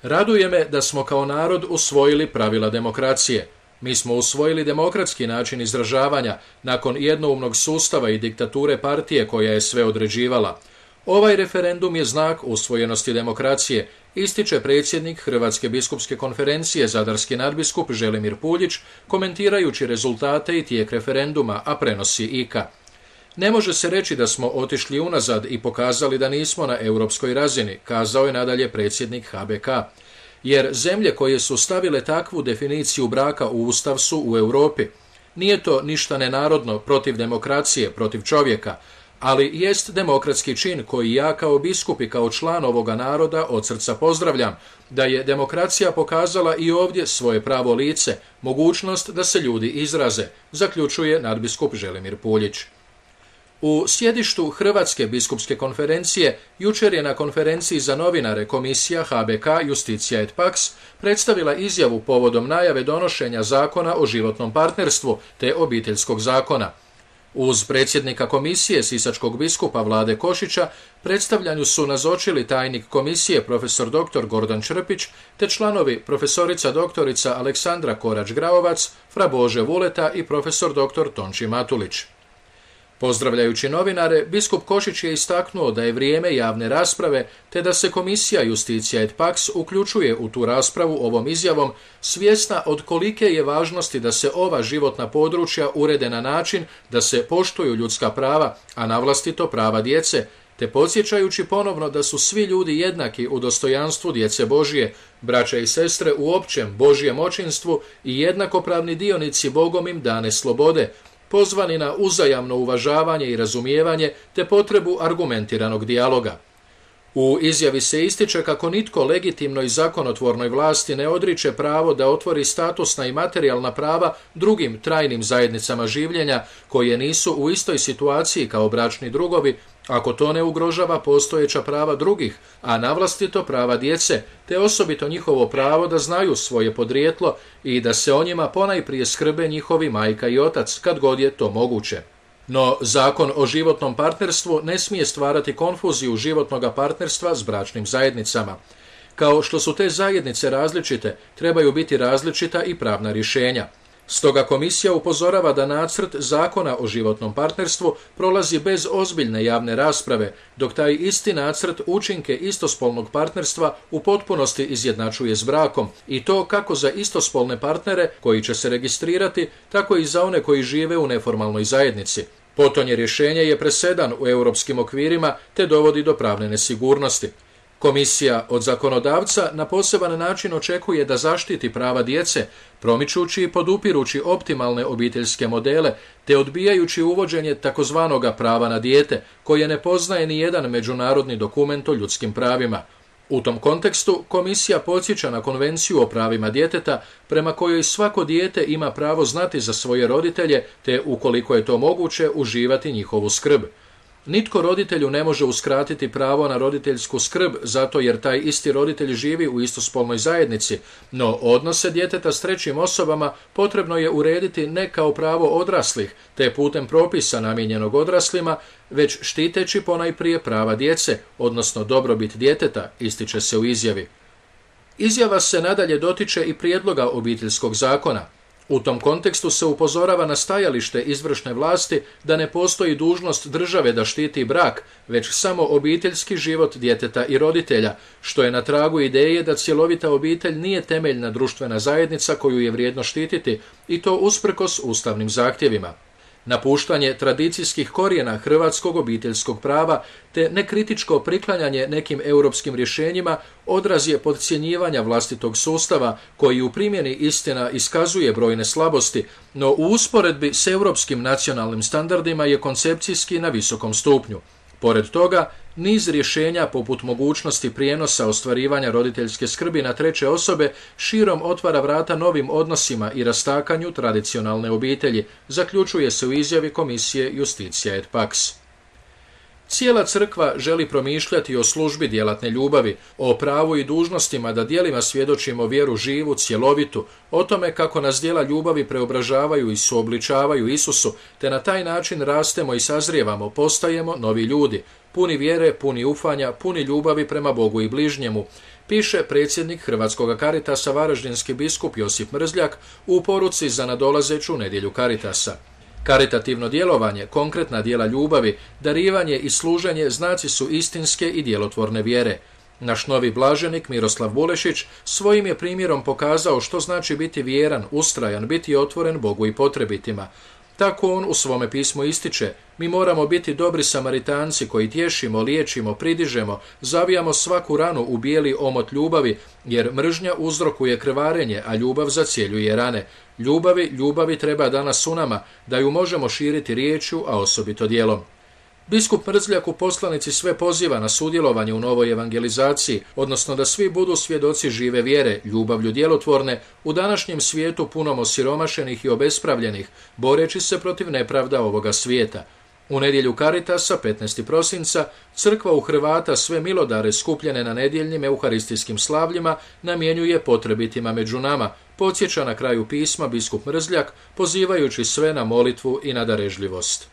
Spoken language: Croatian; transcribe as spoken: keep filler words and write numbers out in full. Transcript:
Raduje me da smo kao narod usvojili pravila demokracije. Mi smo usvojili demokratski način izražavanja nakon jednoumnog sustava i diktature partije koja je sve određivala. Ovaj referendum je znak usvojenosti demokracije, ističe predsjednik Hrvatske biskupske konferencije zadarski nadbiskup Želimir Puljić, komentirajući rezultate i tijek referenduma, a prenosi I K A. Ne može se reći da smo otišli unazad i pokazali da nismo na europskoj razini, kazao je nadalje predsjednik H B K. Jer zemlje koje su stavile takvu definiciju braka u Ustav su u Europi. Nije to ništa nenarodno protiv demokracije, protiv čovjeka, ali jest demokratski čin koji ja kao biskup i kao član ovoga naroda od srca pozdravljam, da je demokracija pokazala i ovdje svoje pravo lice, mogućnost da se ljudi izraze, zaključuje nadbiskup Želimir Puljić. U sjedištu Hrvatske biskupske konferencije jučer je na konferenciji za novinare komisija H B K Justitia et Pax predstavila izjavu povodom najave donošenja zakona o životnom partnerstvu te obiteljskog zakona. Uz predsjednika komisije sisačkog biskupa Vlade Košića predstavljanju su nazočili tajnik komisije profesor doktor Gordan Črpić te članovi profesorica doktorica Aleksandra Korać-Graovac, fra Bože Vuleta i profesor doktor Tonči Matulić. Pozdravljajući novinare, biskup Košić je istaknuo da je vrijeme javne rasprave te da se komisija Justitia et Pax uključuje u tu raspravu ovom izjavom, svjesna od kolike je važnosti da se ova životna područja urede na način da se poštuju ljudska prava, a navlastito prava djece, te podsjećajući ponovno da su svi ljudi jednaki u dostojanstvu djece Božije, braća i sestre u općem Božjem očinstvu i jednakopravni dionici Bogom im dane slobode, pozvani na uzajamno uvažavanje i razumijevanje te potrebu argumentiranog dijaloga. U izjavi se ističe kako nitko legitimnoj zakonotvornoj vlasti ne odriče pravo da otvori statusna i materijalna prava drugim trajnim zajednicama življenja koje nisu u istoj situaciji kao bračni drugovi, ako to ne ugrožava postojeća prava drugih, a navlastito prava djece, te osobito njihovo pravo da znaju svoje podrijetlo i da se o njima ponajprije skrbe njihovi majka i otac, kad god je to moguće. No, zakon o životnom partnerstvu ne smije stvarati konfuziju životnog partnerstva s bračnim zajednicama. Kao što su te zajednice različite, trebaju biti različita i pravna rješenja. Stoga komisija upozorava da nacrt zakona o životnom partnerstvu prolazi bez ozbiljne javne rasprave, dok taj isti nacrt učinke istospolnog partnerstva u potpunosti izjednačuje s brakom, i to kako za istospolne partnere koji će se registrirati, tako i za one koji žive u neformalnoj zajednici. Potonje rješenje je presedan u europskim okvirima te dovodi do pravne nesigurnosti. Komisija od zakonodavca na poseban način očekuje da zaštiti prava djece, promičući i podupirući optimalne obiteljske modele, te odbijajući uvođenje takozvanog prava na dijete, koje ne poznaje ni jedan međunarodni dokument o ljudskim pravima. U tom kontekstu komisija podsjeća na Konvenciju o pravima djeteta, prema kojoj svako dijete ima pravo znati za svoje roditelje, te ukoliko je to moguće uživati njihovu skrb. Nitko roditelju ne može uskratiti pravo na roditeljsku skrb zato jer taj isti roditelj živi u istospolnoj zajednici, no odnose djeteta s trećim osobama potrebno je urediti ne kao pravo odraslih, te putem propisa namijenjenog odraslima, već štiteći ponajprije prava djece, odnosno dobrobit djeteta, ističe se u izjavi. Izjava se nadalje dotiče i prijedloga obiteljskog zakona. U tom kontekstu se upozorava na stajalište izvršne vlasti da ne postoji dužnost države da štiti brak, već samo obiteljski život djeteta i roditelja, što je na tragu ideje da cjelovita obitelj nije temeljna društvena zajednica koju je vrijedno štititi, i to usprkos ustavnim zahtjevima. Napuštanje tradicijskih korijena hrvatskog obiteljskog prava te nekritičko priklanjanje nekim europskim rješenjima odraz je podcjenjivanja vlastitog sustava koji u primjeni istina iskazuje brojne slabosti, no u usporedbi s europskim nacionalnim standardima je koncepcijski na visokom stupnju. Pored toga, niz rješenja poput mogućnosti prijenosa ostvarivanja roditeljske skrbi na treće osobe širom otvara vrata novim odnosima i rastakanju tradicionalne obitelji, zaključuje se u izjavi komisije Justitia et Pax. Cijela crkva želi promišljati o službi djelatne ljubavi, o pravu i dužnostima da djelima svjedočimo vjeru živu, cjelovitu, o tome kako nas djela ljubavi preobražavaju i suobličavaju Isusu, te na taj način rastemo i sazrijevamo, postajemo novi ljudi, puni vjere, puni ufanja, puni ljubavi prema Bogu i bližnjemu, piše predsjednik Hrvatskog Caritasa varaždinski biskup Josip Mrzljak u poruci za nadolazeću nedjelju Caritasa. Karitativno djelovanje, konkretna djela ljubavi, darivanje i služenje znaci su istinske i djelotvorne vjere. Naš novi blaženik Miroslav Bulešić svojim je primjerom pokazao što znači biti vjeran, ustrajan, biti otvoren Bogu i potrebitima. Tako on u svome pismu ističe: mi moramo biti dobri Samaritanci koji tješimo, liječimo, pridižemo, zavijamo svaku ranu u bijeli omot ljubavi, jer mržnja uzrokuje krvarenje, a ljubav zacjeljuje rane. Ljubavi, ljubavi treba danas u nama, da ju možemo širiti riječju, a osobito djelom. Biskup Mrzljak u poslanici sve poziva na sudjelovanje u novoj evangelizaciji, odnosno da svi budu svjedoci žive vjere, ljubavlju djelotvorne, u današnjem svijetu punom osiromašenih i obespravljenih, boreći se protiv nepravda ovoga svijeta. U nedjelju Caritasa, petnaestog prosinca, crkva u Hrvata sve milodare skupljene na nedjeljnim euharistijskim slavljima namjenjuje potrebitima među nama, podsjeća na kraju pisma biskup Mrzljak, pozivajući sve na molitvu i na darežljivost.